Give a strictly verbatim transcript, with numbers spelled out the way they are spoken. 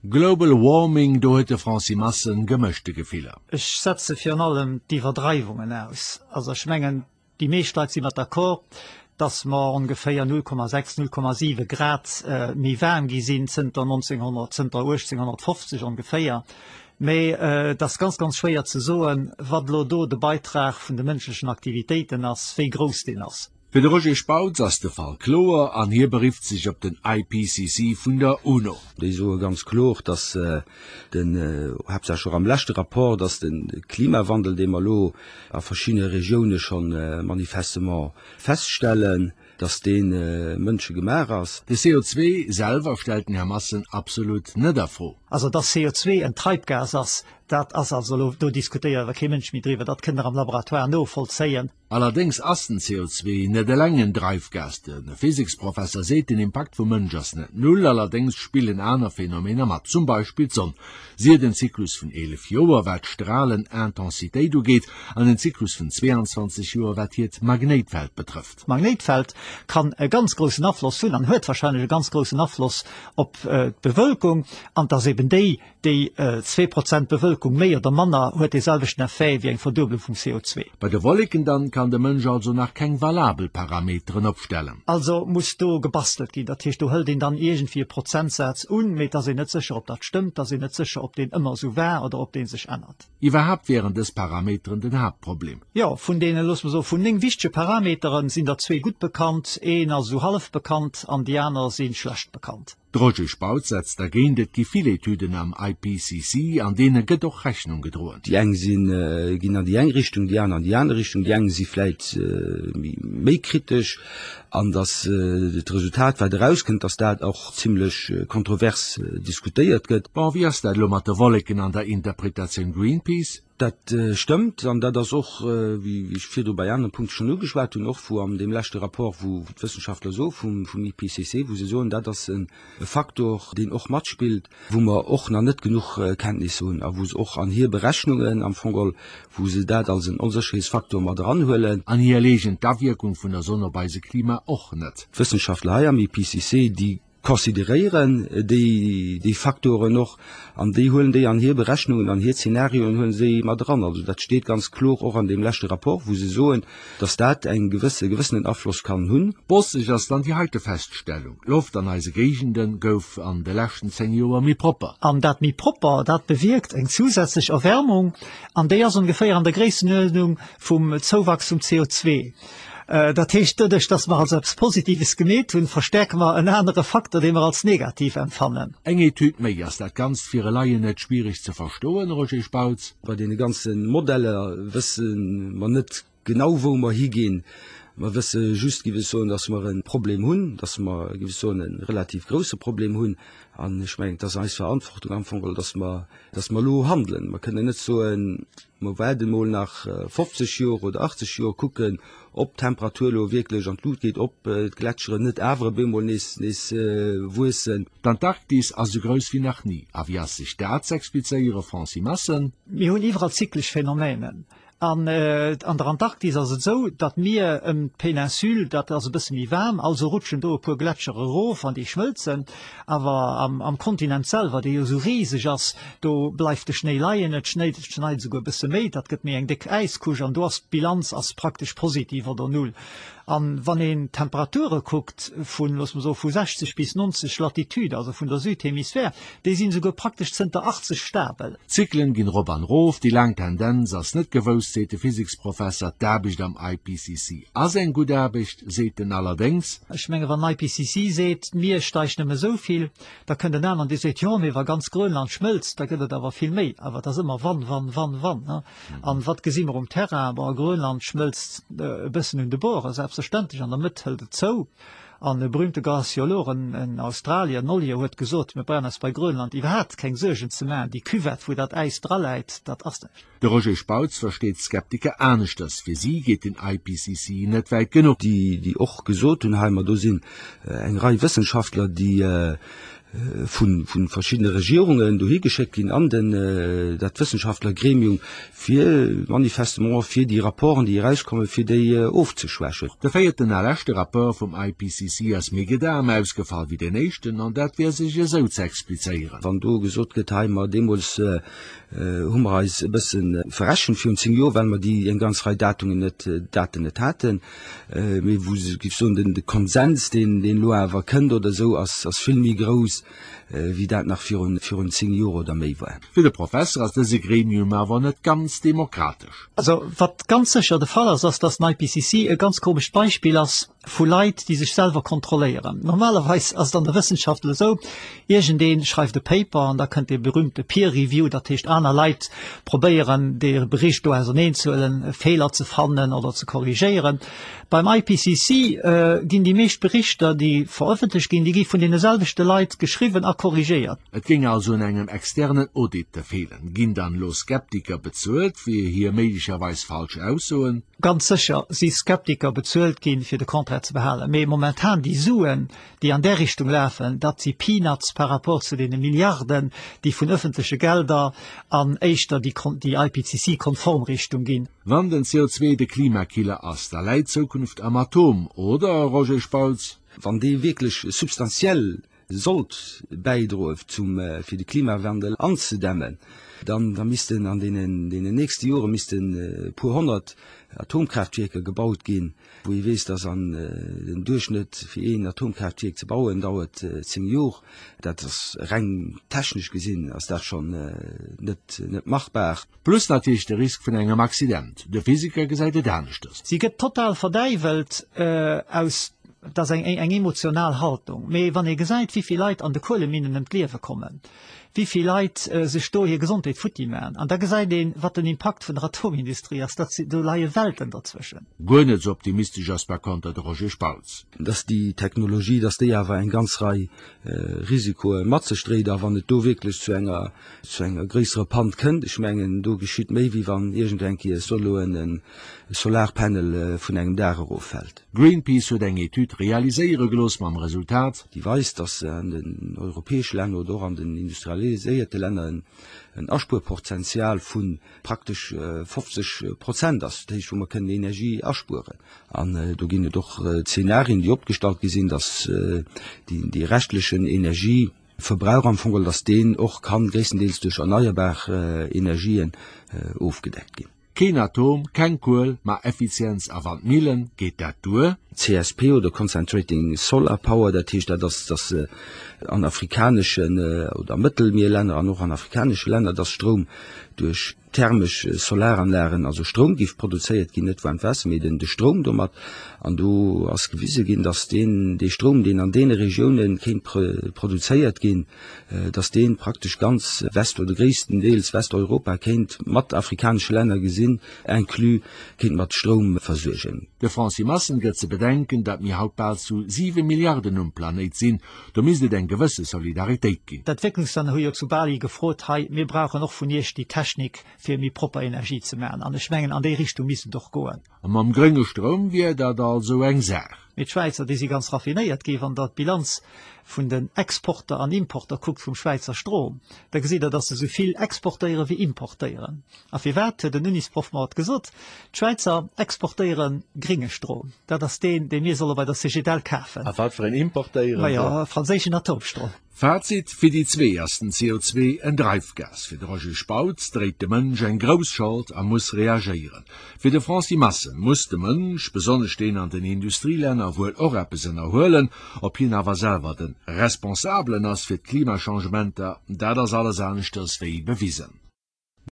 Global Warming, do huet de Francis Massen gemëschte Gefiller. Ech setze virun allem d'Iwwerdreiwungen aus. Also ech mengen, déi meescht Leit si mat d'accord, dass mer ongeféier null Komma sechs, null Komma siwe Grad méi waarm gi sinn zënter neunzehnhundert, zënter uechtzénghonnertfofzeg ongeféier. Mee et ass ganz, ganz schwéier ze soen, wat elo do de Beitrag vun de mënschlechen Aktivitéiten ass, wéi grouss deen ass. Fir de Roger Spautz ass de Fall kloer an hie berifft sech op den I P C C vun der UNO. Déi soe ganz kloer, dass den, haaptsächlech och am leschte Rapport, dass de Klimawandel, dee mer elo a verschiddene Regioune scho manifestement feststellen, dass dee mënschegemaach ass. De C O zwee selwer stellt den Här Massen absolut net a Fro. Also dass C O zwee en Treibgas ass, dat ass also elo, do diskutéiert awer kee Mënsch méi driwwer, dat kënnt Der am Laboratoire novollzéien. Allerdéngs ass den C O zwee net eleng en Dreifgas. De Physiksprofesser seet, den Impakt vum Mënsch ass net null, allerdéngs spillen aner Phänomener mat, zum Beispill d'Sonn. Si huet en Zyklus vun eelef Joer, wat d'Stralenintensitéit ugeet, an en Zyklus vun zweeanzwanzeg Joer, wat hiert Magnéitfeld betrëfft. D'Magnéitfeld kann e ganz groussen Afloss hunn an huet warscheinlech e ganz groussen Afloss op d'Bewölkung, an et ass eben déi, déi zwee Prozent Bewölkung méi oder manner huet dee selwechten Effet wéi eng Verduebelung vum C O zwee. Bei de Wolleken dann kann de Mënsch also nach keng valabel Parameteren opstellen. Also muss do gebastelt ginn. Dat heescht, do hëlt een dann iergendwéi e Prozentsaz un, mee et ass een net sécher, ob dat stëmmt, et ass een net sécher, ob deen ëmmer esou war oder ob dee sech ännert. Iwwerhaapt wieren dës Parameteren den Haaptproblem. Jo, vun deene, loosse mer soen, vun néng wichtege Parameteren sinn der zwee gutt bekannt, een ass esou hallef bekannt an déi aner si schlecht bekannt. De Roger Spautz setzt dergéint, et gi vill Etüden am I P C C, an deene gëtt och Rechnung gedroen. Déi eng sinn, ginn an déi eng Richtung, déi aner an déi aner Richtung, déi eng si vläit méi kritesch, an datt d'Resultat, wat erauskënnt, datt dat och zimlech kontrovers diskutéiert gëtt. Bon, wéi ass dat elo mat de Wolleken an der Interpretatioun Greenpeace? Dat stëmmt, an dat ass och, wéi ech virdru bei anere Punkte schonn ugeschwat hunn, och wou an deem leschte Rapport, wou d'Wëssenschaftler soe vum I P C C, wou se soen, dat ass e Faktor, deen och matspillt, wou mer och nach net genuch Kenntnisse hunn a wou se och an hir Berechnungen am Fong geholl, wou se dat als en Onsécherheetsfaktor mat eranhuelen. An hie leegent d'Awierkung vun der Sonn op eise Klima och net. D'Wëssenschaftler hei am I P C C, déi consideréieren déi déi Faktoren och an déi huelen déi an hir Berechnungen, an hir Zenarioen huelen se déi mat eran. Also dat steet ganz kloer och an deem leschte Rapport, wou se soen, dass dat eng gewësse gewëssenen Afloss kann hunn. Bosseg ass dann déi heite Feststellung, D'Loft an eise Géigende gouf an de leschten zéng Joer méi propper. An dat méi propper, dat bewierkt eng zusätzlech Erwärmung an déi ass ongeféier an der Gréissenuerdnung vum Zouwachs vum C O zwee. Dat heescht, doduerch, dass mer also eppes Positives gemeet hunn, verstärke mer en anere Faktor, dee mer als negativ empfannen. Eng Etüd méi. Ass dat Ganzt fir e Laien net schwiereg ze verstoen, Roger Spautz? Bei deene ganze Modeller wësse mer net genau, wou mer higinn. Mer wësse just, géif ech soen, dass mer e Problem hunn, dass mer, géif ech soen, e relativ grouse Problem hunn. An ech mengen, et ass eis Verantwortung am Fong geholl, dass mer, dass mer elo handelen. Mer kënnen net soen, mer waarde mol nach fofzeg Joer oder achtzeg Joer, kucken, ob d'Temperatur elo wierklech an d'Lut geet, ob d'Gletscheren net awer op eemol nees, nees wuessen. D'Antarktis ass esou grouss wéi nach ni. A wéi ass sech dat z'explizéiere, Francis Massen? Mir hunn iwwerall zyklesch Phänomenen. An an der Antarktis ass et esou, datt mir ëm d'Peninsule, dat ass e bësse méi waarm, also rutschen do e puer Gletschere erof an déi schmëlzen. Awer am am Kontinent selwer, dee jo esou riseg ass, do bleift de Schnéi leien, et schnéit, et schneit esouguer e bësse méi, dat gëtt méi eng déck Äiscouche an do ass d'Bilanz ass praktesch positiv oder null. An wann een d'Temperature kuckt vun, loosse mer soen, vu sechzeg bis neunzeg Latitude, also vun der Südhemisphär, déi sinn esouguer praktesch zënter achtzeg stabel. D'Zyklen ginn erop an erof, déi laang Tendenz ass net gewousst, seet de Physiksprofesser. D'Aarbecht am I P C C ass eng gutt Aarbecht, seet en allerdéngs. Ech menge wann den I P C C seet, d'Mier steigt nëmme esou vill, da kënnt en aneren, dee seet, jo, mee wa ganz Grönland schmëlzt, da gëtt et awer vill méi. Awer et ass ëmmer wann, wann, wann, wann. An wat gesi mer um Terrain? Bon, Grönland schmëlzt e bëssen un de Borde, selbstverständlech, an der Mëtt hëlt et zou. An e berühmte Glaciolog, en, en Australier, en Ollier, huet gesot, mir brauchen eis bei Grönland iwwerhaapt keng Suergen ze maachen, déi Cuvette, wou dat Äis draläit, dat ass näischt. De Roger Spautz versteet d'Skeptiker aneschters. Fir si geet den I P C C net wäit genuch. Déi, déi och gesot hunn, hei, ma do sinn eng Rei Wëssenschaftler, déi vu vu verschiddene Regierungen dohi geschéckt ginn an den dat Wëssenschaftlergremium fir manifestement fir déi Rapporten déi erauskommen fir déi ofzeschwächen. De véierten a leschte Rapport vum I P C C ass méi gedam ausgefall wéi den éischten an dat wier sech esou ze explizéieren. Wann do gesot gëtt, hei mer deemools hu mer eis e bësse verrechent virun zéng Joer, well mer déi eng ganz Rei Datungen net Daten net haten, mee wou se géif soen den de Konsens deen deen elo awer kënnt oder esou ass ass vill méi grouss wéi dat nach virun virun zéng Joer oder méi war. Fir de Professer ass dëse Gremium awer net ganz demokratesch. Also wat ganz sécher de Fall ass, ass dass den I P C C e ganz komescht Beispill ass vu Leit, déi sech selwer kontrolléieren. Normalerweis ass et an der Wëssenschaft esou, iergendee schreift e Paper an da kënnt dee berühmte Peer Review, dat heescht aner Leit probéieren dee Bericht do auserneenzehuelen, Feeler ze fannen oder ze korrigéieren. Beim I P C C ginn déi meescht Berichter, déi verëffentlecht ginn, déi gi vun deene selwechte Leit geschriwwen a korrigéiert. Et géing also un engem externen Audit feelen. Ginn dann elo Skeptiker bezuelt fir hir méiglecherweis falsch Aussoen? Ganz sécher si Skeptiker bezuelt ginn, fir de Contraire ze behalen. Mee momentan déi Suen, déi an där Richtung lafen, dat si Peanuts par rapport zu deene Milliarden, déi vun ëffentleche Gelder an éischter déi déi I P C C-konform Richtung ginn. Wann den C O zwee de Klimakiller ass, da läit d'Zukunft am Atom, oder Roger Spautz? Wann dee wierklech substantiell sollt bäidroe zum fir de Klimawandel anzedämmen, dann da missten an deenen deenen nächste Jore missten e puer honnert Atomkraaftwierker gebaut ginn, wou ee weess, dass an den Duerchschnëtt fir een Atomkraaftwierk ze bauen dauert zéng Jor. Dat ass reng technesch gesinn ass dat schonn net net machbar. Plus natierlech de Risk vun engem Accident. De Physiker gesäit et aneschters. Si gëtt total verdäiwelt aus, dat ass eng eng emotional Haltung. Mee wann ee gesäit, wéi vill Leit an de Kueleminnen ëm d'Liewe kommen, wéi vill Leit sech do hir Gesondheet futti maachen, an da gesäit een, wat den Impakt vun der Atomindustrie ass, dat si, do leie Welten derzwëschen. Guer net esou optimistesch ass par konter de Roger Spautz. Dass déi Technologie, dass déi awer eng ganz Rei Risikoe mat sech dréit, a wann et do wierklech zu enger zu enger gréisserer Panne kënnt, ech mengen, do geschitt méi, wéi wann iergend eng Kéier soll elo en Solarpanel vun engem Daach eroffält. Greenpeace huet eng Etüd realiséiere gelooss mam Resultat, déi weist, dass an den europäesche Länner oder och an den industrialiséierte Länner en Aspuerpotential vu praktesch fofzeg Prozent ass, dat heescht wou mer kënnen Energie aspueren. An do ginn et och Zenarien, déi opgestallt gi sinn, dass déi reschtlechen Energieverbrauch am Fong, dass deen och kann gréisstendeels duerch erneierbar Energien ofgedeckt ginn. Keen Atom, keng Kuel, ma Effizienz a Wandmillen, geet dat duer? C S P oder Concentrating Solar Power, dat heescht, dat ass, dass an afrikaneschen oder Mëttelmierlänner an och an afrikanesche Länner, dass Stroum duerch thermesch Solaranlagen, also Stroum géif produzéiert ginn, net waarmt Waasser, mee den de Stroum domat. An do ass gewise ginn, dass deen dee Stroum, deen an deene Regiounen kéint produzéiert ginn, dass dee praktesch ganz West oder gréisstendeels Westeuropa kéint, mat afrikanesche Länner gesinn inclus, kéint mat Stroum versuergen. De Francis Massen gëtt ze bedenken, datt mir haut bal zu siwe Milliarden um Planéit sinn, do misst et eng gewësse Solidaritéit ginn. D'Entwécklungslänner hu jo zu Bali gefrot, hei, mir brauchen och vun Iech déi Technik, fir méi propper Energie ze maachen. An ech mengen, an déi Richtung misst et och goen. A mam grénge Stroum wier dat also eng Saach. Mee d'Schwäizer, déi si ganz raffinéiert gi. Wann Der d'Bilanz vun den Exporter an Importer kuckt vum Schwäizer Strom, da gesitt Der, datt se esou vill exportéiere wéi importéieren. A firwat, huet en Unisproff mer haut gesot, D'Schwäizer exportéiere grénge Strom, dat ass deen, dee mir solle bei der Cegedel kafen. A wat fir een importéieren se? Majo, franséischen Atomstrom. Fazit, Fir déi zwee ass den C O zwee en Dreifgas. Fir de Roger Spautz dréit de Mënsch eng grouss Schold a muss reagéieren. Fir de Francis Massen muss de Mënsch, besonnesch deen an den Industrielänner, wuel och eppes ënnerhuelen. Ob hien awer selwer de Responsabelen ass fir d'Klimachangementer, dat ass alles aneschters wéi bewisen.